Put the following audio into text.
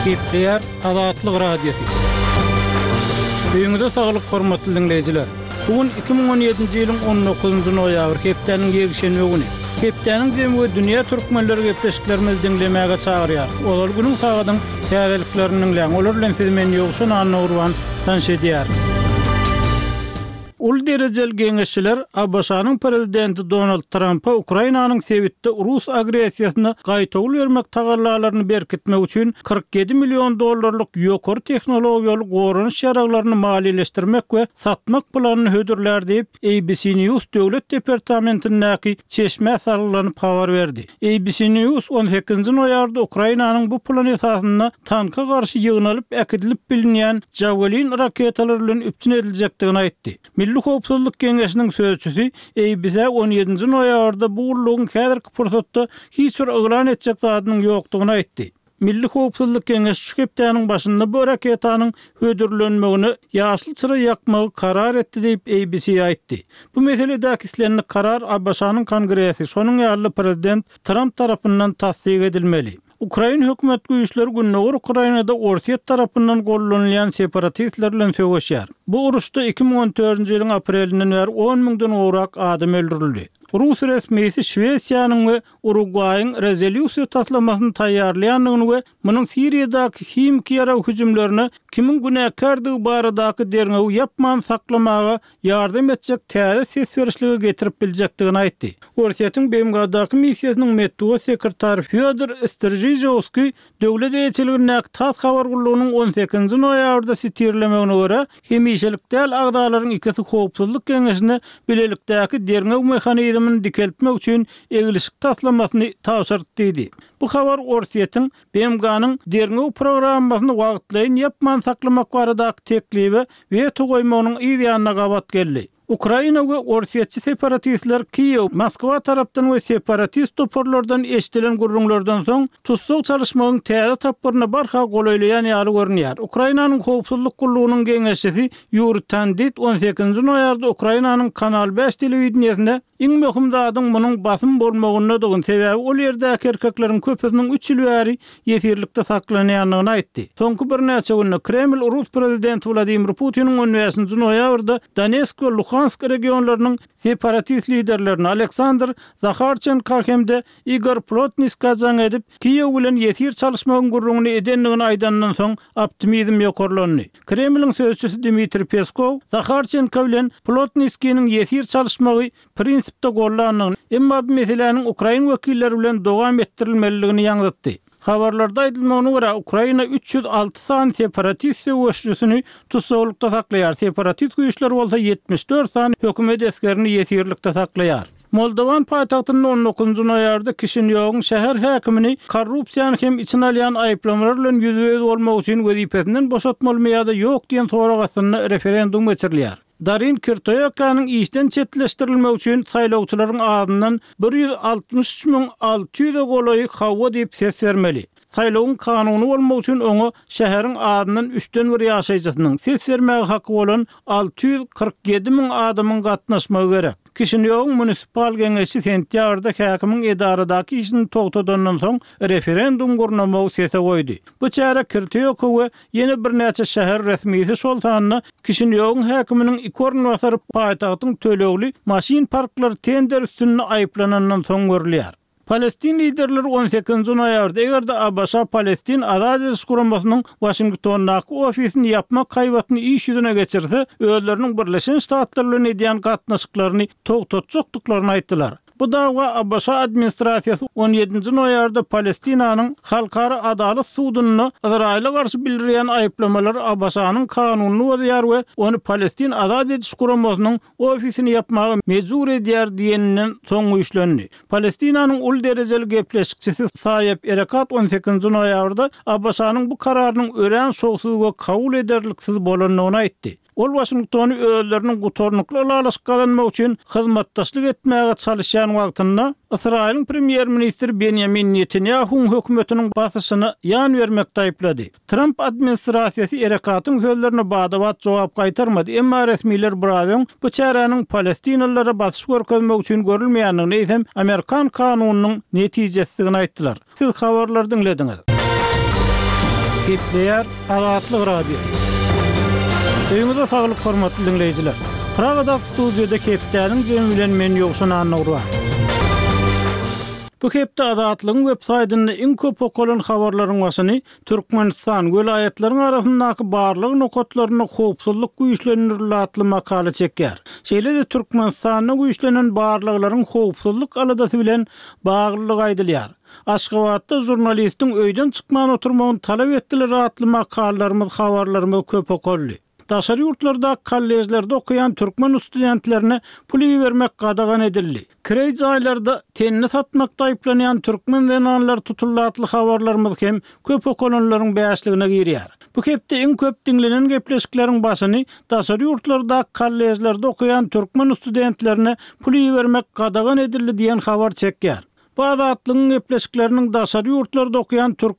Gepleýär Azatlyk Radiosy. Öýüňize saglyk hormatly diňleýjiler! Bu gün 2017-nji ýylyň 19-njy noýabry hepdäniň ýekşenbe güni. Hepdäniň jemi we dünýä türkmenleri gepleşiklerimizi diňlemäge çagyrýar. Ozal günüň sagadyň täzeliklerini diňläň. Olar bilen sizi men Ýowşan Annagurban tanyş edýärin. Uly derejeli geňeşçiler ABŞ-nyň prezidenti Donald Trampa Ukrainanyň sebitde rus agressiýasyna gaýtawul bermek tagallalaryny berkitmek üçin 47 million dollarlyk ýokary tehnologiýaly goranyş ýaraglaryny maliýeleşdirmek we satmak planyny hödürlär diýip, ABC News Döwlet departamentindäki çeşmä salgylanyp habar berdi. ABC News on sekizinji noýabrda Ukrainanyň bu plan esasynda tanka garşy ýygnalyp äkidilip bilinýän Javelin raketalary bilen üpjün ediljekdigini aýtdy. Milli howpsuzlyk geňeşiniň sözçüsi ABC-ä on ýedinji noýabrda bu gullugyň häzirki pursatda hiç bir yglan etjek zadynyň ýokdugyny aýtdy. Milli howpsuzlyk geňeşi şu hepdäniň başynda bu raketanyň hödürlenmegine ýaşyl çyra ýakmagy karar etdi diýip, ABC aýtdy. Bu meseledäki islendik karar ABŞ-nyň Kongresi, şonuň ýaly-da prezident Tramp tarapyndan tassyk edilmeli. Ukrain hökümet güýçleri gündogar Ukrainada Orsýet tarapyndan gollanylýan separatistler bilen söweşýär. Bu uruşda 2014-nji ýylyň aprelinden bäri on müňden gowrak adam öldürildi. Rus resmisi Şwesiýanyň we Urugwaýyň rezolýusiýa taslamasyny taýýarlaýandygyny we munuň Siriýadaky himiki ýarag hüjümlerine kimiň günäkärdigi baradaky derňewi ýapman saklamaga ýardam etjek täze ses berişlige getirip biljekdigini aýtdy. Orsýetiň BMG-daky missiýasynyň metbugat sekretary Fýodor Stržižowskiý Döwlet eýeçiligindäki tass habar gullugynyň on sekizinji noýabrda sitirlemegine görä, hemişelik däl agzalaryň ikisi Howpsuzlyk Geňeşine bilelikdäki derňew mehanizmini dikeltmek üçin eglişik taslamasyny tabşyrdy diýdi. Bu habar Orsýetiň BMG-niň derňew programmasyny wagtlaýyn ýapman saklamak baradaky teklibe weto goýmagynyň yz ýanyna gabat geldi. Ukraina we orsýetçi separatistler Kiýew, Moskwa tarapdan we separatist toparlardan eşidilen gürrüňlerden soň, tussag çalyşmagyň täze tapgyryna barha golaýlaýan ýaly görünýär. Ukrainanyň Howpsuzlyk gullugynyň geňeşçisi Ýuriý Tandit on sekizinji noýabrda Ukrainanyň Kanal bäş telewideniýesinde Iň möhüm zadyň munuň basym bolmagyndadygyny, sebäbi ol ýerdäki erkekleriň köpüsiniň üç ýyl bäri ýesirlikde saklanýandygyny aýtdy. Soňky birnäçe günde Kreml rus prezidenti Wladimir Putiniň on bäşinji noýabrda Donesk we Luhansk regionlarynyň separatist liderlerine Aleksandr Zaharçenka hem-de Igor Plotniskä jaň edip, Kiýew bilen ýesir çalyşmagyň gürrüňini edendigini aýdandan soň optimizm ýokarlandy. Kremliň sözçüsi Dmitriý Peskow Zaharçenko bilen Plotniskiniň ýesir çalyşmagy prinsipde gollandygyny, emma bu meseläniň ukrain wekilleri bilen dowam etdirilmelidigini ýaňzytdy. Habarlarda aýdylmagyna görä, Ukraina 306 sany separatist söweşijisini tussaglykda saklaýar, separatist güýçler bolsa 74 sany hökümet esgerini ýesirlikde saklaýar. Moldowan paýtagtynda on dokuzynjy noýabrda Kişinýowyň şäher häkimini korrupsiýany hem içine alýan aýyplamalar bilen ýüzbe-ýüz bolmak üçin wezipesinden boşatmalymy ýa-da ýok diýen sorag astynda referendum geçirilýär. Darin Kirtoýakanyň işden çetleşdirilmegi üçin saýlawçylaryň azyndan 163 600-e golaýy hawa diýip ses bermeli. Saýlawyň kanuny bolmagy üçin oňa şäheriň azyndan üçden bir ýaşaýjysynyň, ses bermäge haky bolan 647 müň adamyň gatnaşmagy gerek. Kişinýowyň munisipal geňeşi sentýabrda häkimiň edaradaky işini togtadandan soň referendum gurnamagy sese goýdy. Bu çäre Kirtýoko we ýene birnäçe şäher resmisi, şol sanda Kişinýowyň häkiminiň iki orunbasary paýtagtyň tölegli maşyn parklary tender üstünde aýyplanandan soň görülýär. Palestin liderleri on sekizinji noýabrda, eger-de ABŞ Palestin Azat ediş guramasynyň Waşingtondaky ofisini ýapmak haýbatyny iş ýüzüne geçirse, özleriniň Birleşen Ştatlar bilen edýän gatnaşyklaryny togtatjakdyklaryny aýtdylar. Bu dawa ABŞ administrasiýasy on ýedinji noýabrda Palestinanyň Halkara Adalat sudunda Ysraýyla garşy bildirýän aýyplamalary ABŞ-nyň kanunyny bozýar we ony Palestin Azat ediş guramasynyň ofisini ýapmaga mejbur edýär diýeninden soň güýçlendi. Palestinanyň uly derejeli gepleşikçisi Saýeb Erekat on sekizinji noýabrda ABŞ-nyň bu kararynyň örän şowsuz we kabul ederliksiz bolandygyny aýtdy. Ol Waşingtony özleriniň gutarnykly ylalaşyk gazanmak üçin hyzmatdaşlyk etmäge çalyşýan wagtynda Ysraýylyň premýer-ministri Benýamin Netanýahuwyň hökümetiniň basyşyna ýan bermekde aýyplady. Tramp administrasiýasy Erekatyň sözlerine bada-bat jogap gaýtarmady, emma resmiler biraz öň bu çäräniň palestinalylara basyş görkezmek üçin görülmeýändigini, eýsem, amerikan kanunynyň netijesidigini aýtdylar. Siz habarlary diňlediňiz. Gepleýär Azatlyk Radiosy. Öýüňize saglyk hormatly diňleýjiler. Pragadaky studiýada hepdäniň jemi bilen men Ýowşan Annagurban. Bu hepde Azatlygyň web saýtynda iň köp okalan habarlaryň başyny Türkmenistan, welaýatlaryň arasyndaky barlag nokatlarynda howpsuzlyk güýçlendirildi atly makala çekýär. Şeýle-de Türkmenistanda güýçlenen barlaglaryň howpsuzlyk aladasy bilen baglydygy aýdylýar. Aşgabatda žurnalistiň öýden çykman oturmagyny talap etdiler atly makalalarymyz, habarlarymyz köp okaldy. Daşary ýurtlardaky kolležlerde okaýan türkmen studentlerine pul ibermek gadagan edildi. Kireý jaýlarda tenini satmakda aýyplanýan türkmen zenanlary tutuldy atly habarlarymyz hem köp okalanlaryň bäşligine girýär. Bu hepde iň köp diňlenen gepleşikleriň başyny daşary ýurtlardaky kolležlerde okaýan türkmen studentlerine pul ibermek gadagan edildi diýen habar çekýär. Bu Azatlygyň gepleşikleriniň daşary ýurtlarda okaýan türk.